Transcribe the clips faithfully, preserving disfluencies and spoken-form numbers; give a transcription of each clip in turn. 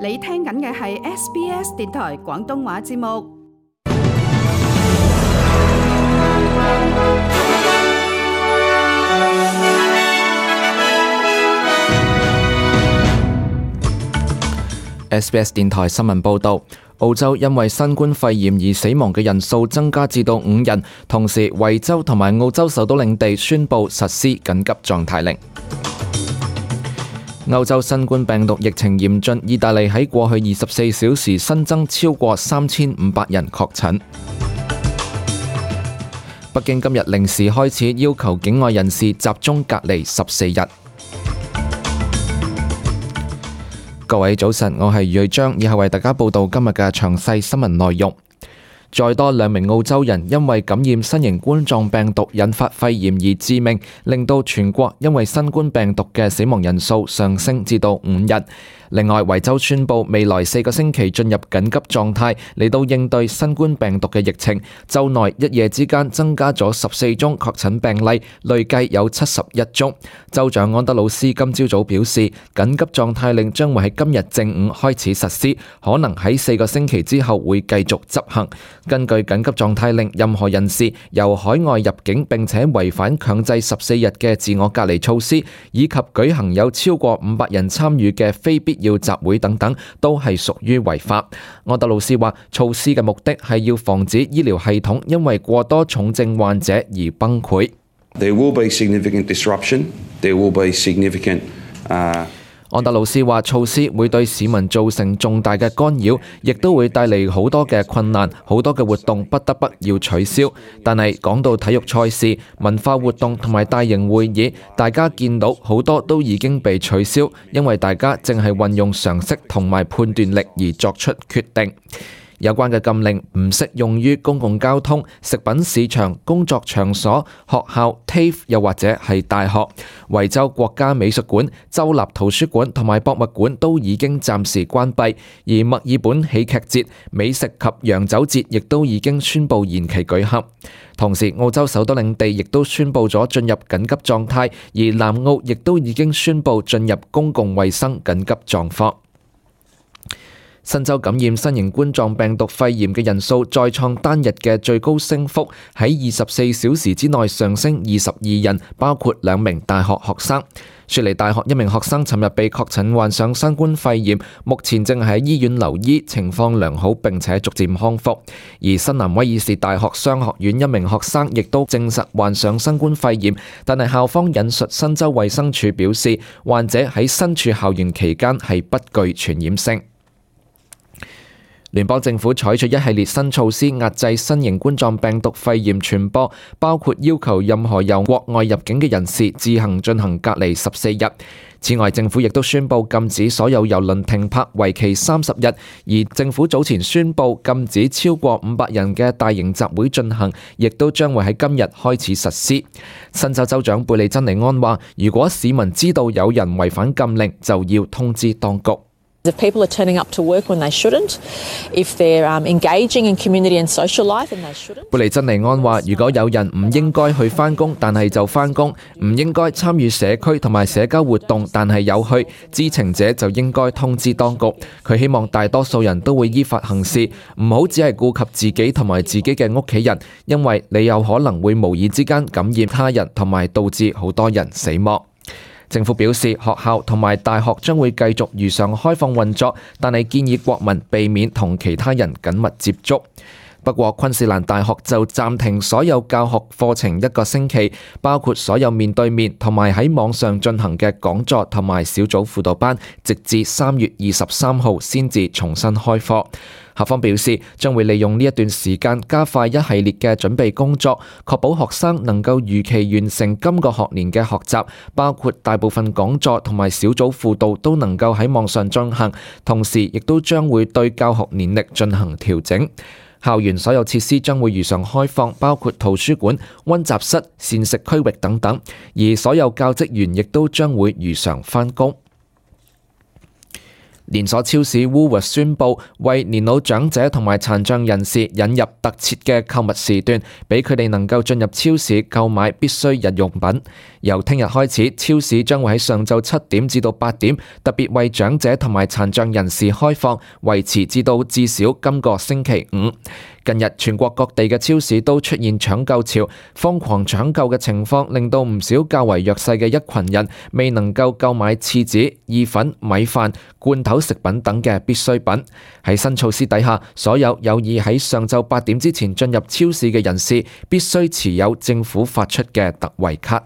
你聽緊嘅係 S B S 電台廣東話節目。S B S 電台新聞報導，澳洲因為新冠肺炎而死亡嘅人數增加至到五人，同時維州同埋澳洲首都領地宣布實施緊急狀態令。歐洲新冠病毒疫情嚴峻，意大利喺過去二十四小時新增超過三千五百人確診。北京今日零時開始要求境外人士集中隔離十四日。各位早晨，我係余瑞章，以後為大家報道今日嘅詳細新聞內容。再多兩名澳洲人因為感染新型冠狀病毒引發肺炎而致命，令到全國因為新冠病毒嘅死亡人數上升至到五人。另外，維州宣布未來四個星期進入緊急狀態，嚟到應對新冠病毒嘅疫情。州內一夜之間增加咗十四宗確診病例，累計有七十一宗。州長安德魯斯今朝早表示，緊急狀態令將會喺今日正午開始實施，可能喺四個星期之後會繼續執行。根據緊急狀態令，任何人士由海外入境並且違反強制十四日嘅自我隔離措施，以及舉行有超過五百人參與嘅非必要集會等等，都係屬於違法。安德魯斯話，措施嘅目的係要防止醫療系統因為過多重症患者而崩潰。There will be significant disruption. There will be significant, uh安德魯斯話，措施會對市民造成重大嘅干擾，亦都會帶嚟好多嘅困難，好多嘅活動不得不要取消。但係講到體育賽事、文化活動同埋大型會議，大家見到好多都已經被取消，因為大家正係運用常識同埋判斷力而作出決定。有關嘅禁令唔適用於公共交通、食品市場、工作場所、學校、T A F E 又或者係大學。維州國家美術館、州立圖書館同埋博物館都已經暫時關閉，而墨爾本喜劇節、美食及洋酒節亦都已經宣布延期舉行。同時，澳洲首都領地亦都宣布咗進入緊急狀態，而南澳亦都已經宣布進入公共衛生緊急狀況。新州感染新型冠狀病毒肺炎嘅人數再創單日嘅最高升幅，喺二十四小時之內上升二十二人，包括兩名大學學生。雪梨大學一名學生尋日被確診患上新冠肺炎，目前正喺醫院留醫，情況良好並且逐漸康復。而新南威爾士大學商學院一名學生亦都證實患上新冠肺炎，但係校方引述新州衛生署表示，患者喺身處校園期間係不具傳染性。聯邦政府採取一系列新措施壓制新型冠狀病毒肺炎傳播，包括要求任何由國外入境嘅人士自行進行隔離十四日。此外，政府亦都宣布禁止所有郵輪停泊，為期三十日。而政府早前宣布禁止超過五百人嘅大型集會進行，亦都將會喺今日開始實施。新州州長貝利珍尼安話，如果市民知道有人違反禁令，就要通知當局。If people are turning up to work when they shouldn't, if they're um, engaging in community and social life and they shouldn't. 貝利珍尼安話，如果有人唔應該去返工，但係就返工；唔應該參與社區同埋社交活動，但係有去，知情者就應該通知當局。佢希望大多數人都會依法行事，唔好只係顧及自己同埋自己嘅屋企人，因為你有可能會無意之間感染他人，同埋導致好多人死亡。政府表示，學校同埋大學將會繼續如常開放運作，但係建議國民避免同其他人緊密接觸。不過，昆士蘭大學就暫停所有教學課程一個星期，包括所有面對面同埋喺網上進行嘅講座同埋小組輔導班，直至三月二十三號先至重新開課。校方表示，將會利用呢一段時間加快一系列嘅準備工作，確保學生能夠如期完成今個學年嘅學習，包括大部分講座同埋小組輔導都能夠喺網上進行，同時亦都將會對教學年曆進行調整。校園所有設施將會如常開放，包括圖書館、溫習室、膳食區域等等，而所有教職員亦都將會如常返工。連鎖超市 Woolworths 宣布為年老長者同埋殘障人士引入特設嘅購物時段，俾佢哋能夠進入超市購買必需日用品。由聽日開始，超市將會喺上晝七點至到八點，特別為長者同埋殘障人士開放，維持至到至少今個星期五。近日全國各地嘅超市都出現搶購潮，瘋狂搶購嘅情況令到唔少較為弱勢嘅一群人未能夠購買廁紙、意粉、米飯、罐頭食品等嘅必需品。喺新措施底下，所有有意喺上晝八點之前進入超市嘅人士必須持有政府發出嘅特惠卡。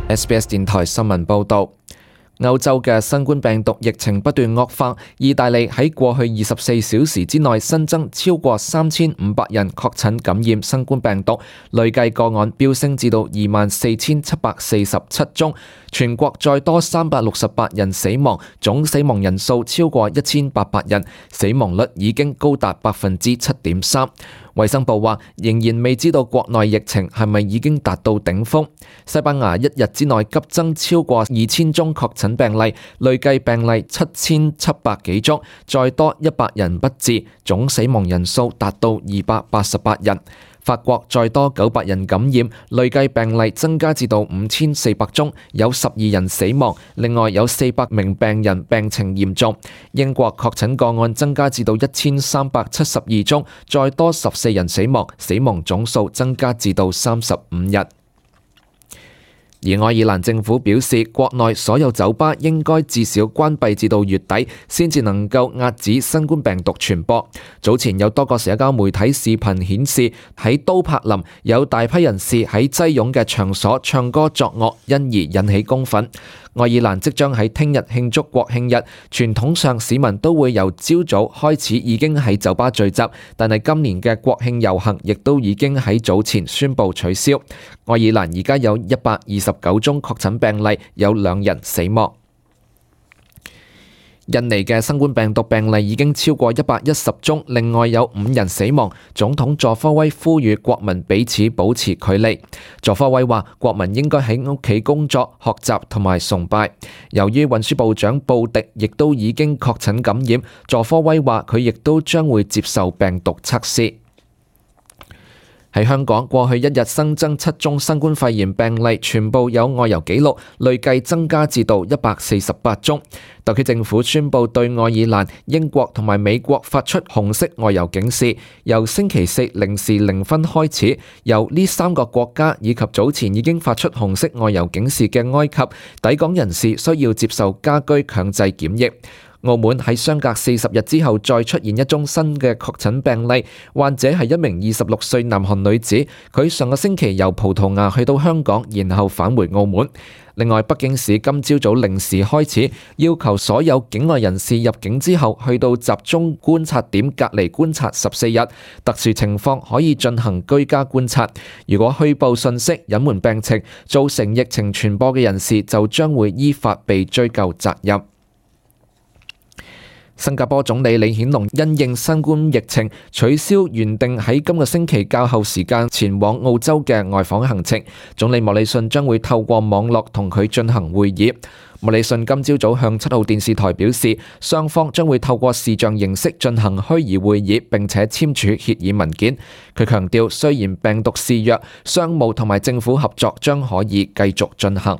S B S 電台新聞報導。歐洲嘅新冠病毒疫情不斷惡化，意大利喺過去二十四小時之內新增超過三千五百人確診感染新冠病毒，累計個案飆升至到二萬四千七百四十七宗，全國再多三百六十八人死亡，總死亡人數超過一千八百人，死亡率已經高達百分之七點三。衛生部話仍然未知道國內疫情係咪已經達到頂峰。西班牙一日之內急增超過二千宗確診病例，累計病例七千七百幾宗，再多一百人不治，總死亡人數達到二百八十八人。法國再多九百人感染，累計病例增加至到五千四百宗，有十二人死亡，另外有四百名病人病情嚴重。英國確診個案增加至到一千三百七十二宗，再多十四人死亡，死亡總數增加至到三十五日。而愛爾蘭政府表示，國內所有酒吧應該至少關閉至到月底，先至能夠遏止新冠病毒傳播。早前有多個社交媒體視頻顯示，喺都柏林有大批人士喺擠擁嘅場所唱歌作樂，因而引起公憤。愛爾蘭即將喺聽日慶祝國慶日，傳統上市民都會由朝早開始已經喺酒吧聚集，但係今年嘅國慶遊行亦都已經喺早前宣布取消。愛爾蘭而家有一百二十九宗確診病例，有兩人死亡。印尼嘅新冠病毒病例已經超過一百一十宗，另外有五人死亡。總統佐科威呼籲國民彼此保持距離。佐科威話，國民應該喺屋企工作、學習同埋崇拜。由於運輸部長布迪亦都已經確診感染，佐科威話佢亦都將會接受病毒測試。喺香港，過去一日新增七宗新冠肺炎病例，全部有外遊記錄，累計增加至到一百四十八宗。特區政府宣布對愛爾蘭、英國同埋美國發出紅色外遊警示，由星期四零時零分開始，由呢三個國家以及早前已經發出紅色外遊警示嘅埃及抵港人士需要接受家居強制檢疫。澳門喺相隔四十日之後再出現一宗新嘅確診病例，患者係一名二十六歲南韓女子，佢上個星期由葡萄牙去到香港，然後返回澳門。另外，北京市今朝早零時開始要求所有境外人士入境之後去到集中觀察點隔離觀察十四日，特殊情況可以進行居家觀察。如果虛報信息、隱瞞病情，造成疫情傳播嘅人士就將會依法被追究責任。新加坡總理李顯龍因應新冠疫情，取消原定喺今個星期較後時間前往澳洲嘅外訪行程。總理莫里遜將會透過網絡同佢進行會議。莫里遜今朝早向七號電視台表示，雙方將會透過視像形式進行虛擬會議，並且簽署協議文件。佢強調，雖然病毒肆虐，商務同埋政府合作將可以繼續進行。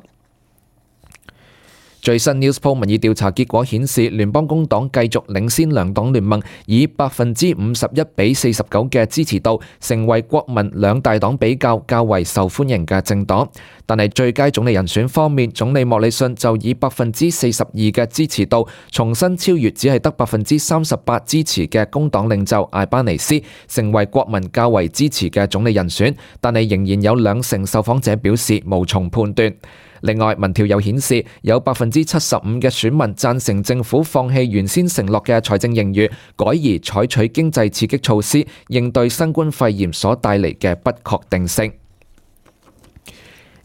最新 Newspoll 民意調查結果顯示，聯邦工黨繼續領先兩黨聯盟，以百分之五十一比四十九嘅支持度，成為國民兩大黨比較較為受歡迎嘅政黨。但係最佳總理人選方面，總理莫里遜就以百分之四十二嘅支持度，重新超越只係得百分之三十八支持嘅工黨領袖艾巴尼斯，成為國民較為支持嘅總理人選。但係仍然有兩成受訪者表示無從判斷。另外，民調又顯示有百分之七十五嘅選民贊成政府放棄原先承諾嘅財政盈餘，改而採取經濟刺激措施，應對新冠肺炎所帶嚟嘅不確定性。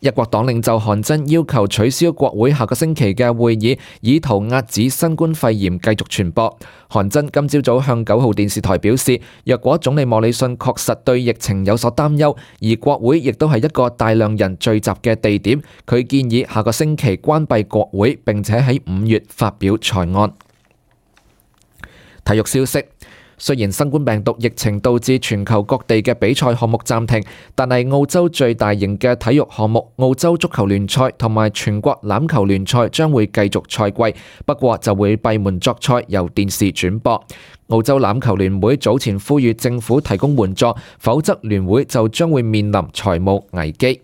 一國黨領袖韓真要求取消國會下個星期嘅會議，以圖遏止新冠肺炎繼續傳播。韓真今朝早向九號電視台表示，若果總理莫里遜確實對疫情有所擔憂，而國會亦都係一個大量人聚集嘅地點，佢建議下個星期關閉國會，並且喺五月發表財案。體育消息。雖然新冠病毒疫情導致全球各地嘅比賽項目暫停，但係澳洲最大型嘅體育項目澳洲足球聯賽同埋全國欖球聯賽將會繼續賽季，不過就會閉門作賽，由電視轉播。澳洲欖球聯會早前呼籲政府提供援助，否則聯會就將會面臨財務危機。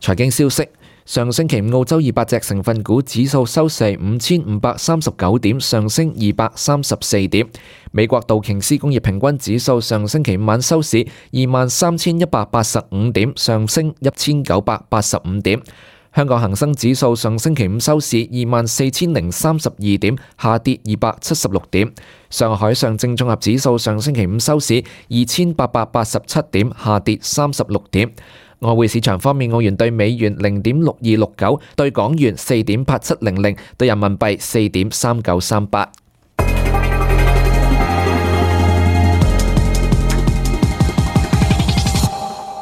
財經消息。上星期五澳洲二百隻成分股指數收市五千五百三十九點，上升二百三十四點。美國道瓊斯工業平均指數上星期五晚收市二萬三千一百八十五點，上升一千九百八十五點。香港恒生指數上星期五收市二萬四千零三十二點，下跌二百七十六點。上海上證綜合指數上星期五收市二千八百八十七點，下跌三十六點。外匯市場方面，澳元對美元零點六二六九，對港元四點八七零零，對人民幣四點三九三八。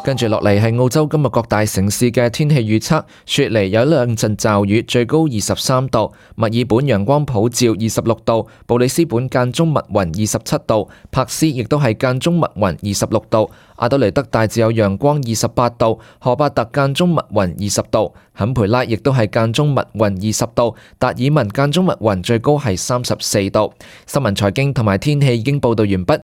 跟住落嚟係澳洲今日各大城市嘅天氣預測。雪梨有兩陣驟雨，最高二十三度；墨爾本陽光普照，二十六度；布里斯本間中密雲，二十七度；柏斯亦都係間中密雲，二十六度；阿德雷德大致有陽光，二十八度；荷伯特間中密雲，二十度；坎培拉亦都係間中密雲，二十度；達爾文間中密雲，最高係三十四度。新聞財經同埋天氣已經報道完畢。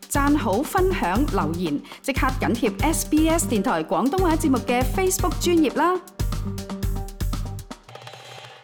讚好、分享、留言，即刻緊貼 S B S 電台廣東話節目嘅 Facebook 專頁啦！